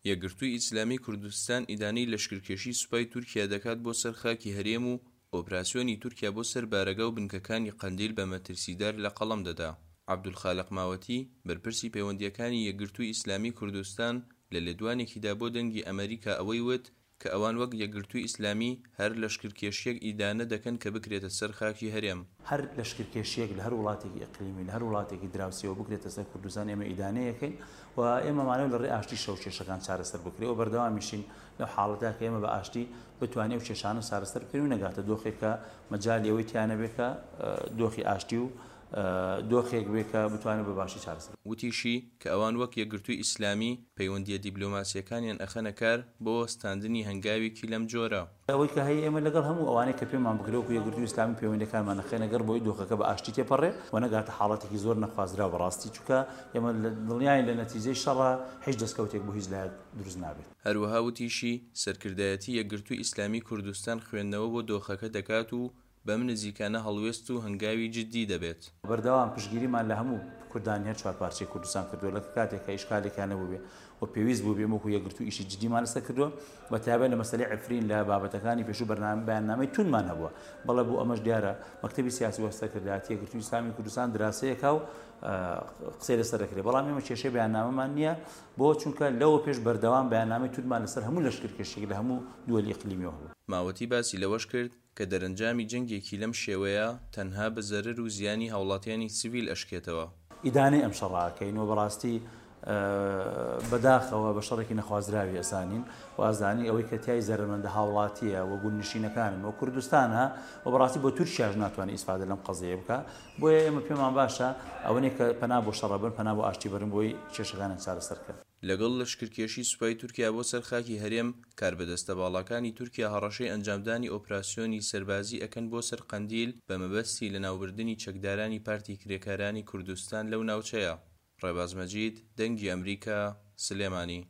یەکگرتووی ئیسلامی کوردستان ئیدانەی لەشکرکێشی سوپای تورکیا دەکات بۆ سەر خاکی هەرێم و ئۆپراسیۆنی تورکیا بۆ سەر بارەگا و بنکەکانی قەندیل بە مەترسیدار لە قەڵەم دەدا. عەبدولخالق ماوەتی، بەرپرسی پەیوەندییەکانی یەکگرتووی ئیسلامی کوردستان لە لێدوانێکیدا بۆ دەنگی ئەمەریکا ئەوەی وت کە ئەوان وەک یەکگرتووی ئیسلامی هەر لەشکرکێشییەک ئیدانە دەکەن کە بکرێتە سەر خاکی هەرێم. هەر لەشکرکێشییەک لە هەر وڵاتێکی ئیقلیمی، لە هەر وڵاتێکی دراوسێوە بکرێتە سەر کوردستان ئێمە ئیدانەی ئەکەین و ئێمە مانەوە لە ڕێی ئاشتیشەوە کێشەکان چارەسەر بکرێ و بەردەوامیشین لەو حاڵەتە کە ئێمە بە ئاشتی بتوانین ئەو کێشانە چارەسەر بکەین و نەگاتە دۆخێک کە مەجالی ئەوەی تیا نەبێ کە دۆخی ئاشتی و دۆخێک بێ کە بتوانێت بە باشی چارەسەر. وتیشی کە ئەوان وەک یەکگرتووی ئیسلامی پەیوەندییە دیبلۆماسییەکانیان ئەخەنە کار بۆ وەستاندنی هەنگاوێکی لەم جۆرە. ئەوەی کە هەیە ئێمە لەگەڵ هەموو ئەوانەی کە پێمان بکرێ وەکو یەکگرتووی ئیسلامی پەیوەندییەکانمان ئەخەینە گەڕ بۆی دۆخەکە بە ئاشتی تێپەڕێ و نەگاتە حاڵەتێکی زۆر نەخوازراو بەڕاستی چونکە ئێمە دڵنیاین لە نەتیجەی شەڕا هیچ دەستکەوتێک بۆ هیچ لایەک دروست نابێت. هەروەها وتیشی، سەرکردایەتی یەکگرتووی ئیسلامی کوردستان خوێندنەوە بۆ دۆخەکە دەکات و بەم نزیکانە هەڵوێست و هەنگاوی جددی دەبێت. بەردەوام پشتگیریمان لە هەموو کوردانی هەر چوارپارچەی کوردستان کردووە لە کاتێک کە ئیشکالێکیان نەبووبێ و پێویست بووبێ ئێمە وەکو یەکگرتوو ئیشی جددیمان لەسەر کردووە بە تایبەت لە مەسەلەی عەفرین لە بابەتەکانی پێشوو بەرنامە بەیاننامەی توندمان هەبووە بەڵێ بۆ ئەمەش دیارە مەکتەبی سیاسی و سەرکردایەتی یەکگرتووی ئیسلامی کوردستان دراسەیەکە و قسەی لەسەر دەکرێت بەڵام ئێمە کێشەی بەیاننامەمان نییە بۆ چونکە لەوە پێش بەردەوام بەیاننامەی توندمان لەسەر هەموو لەشکرکێشیەک لە هەموو دووەلی ئیقلیمیەوە هەبوو. ماوەتی باسی لەوەش کرد، کە دەرەنجامی جەنگێکی لەم شێوەیە تەنها بە زەرەر و زیانی هاوڵاتیانی سڤیل ئەشکێتەوە. ئیدانەی ئەم شەڕە ئەکەین و بەڕاستی بەداخەوە بە شەڕێکی نەخوازراوی ئەزانین و ئەزانین ئەوەی کە تیای زەرەرمەندە هاوڵاتییە و گوندنشینەکانن و کوردستانە و بەڕاستی بۆ تورکیاش ناتوانێت ئیسفادە لەم قەزیەیە بکا بۆیە ئێمە پێمان باشە ئەوەنەی کە پەنا بۆ شەڕ ئەبەن پەنا بۆ ئاشتی بەرن بۆی کێشەکانیان چارەسەر کەن. لەگەڵ لەشکرکێشی سوپای تورکیا بۆ سەر خاکی هەرێم، کاربەدەستە باڵاکانی تورکیا هەڕەشەی ئەنجامدانی ئۆپراسیۆنی سەربازی ئەکەن بۆ سەر قەندیل بە مەبەستی لەناوبردنی چەکدارانی پارتی کرێکارانی کوردستان لەو ناوچەیە. ڕێباز مەجید، دەنگی ئەمریکا، سلێمانی.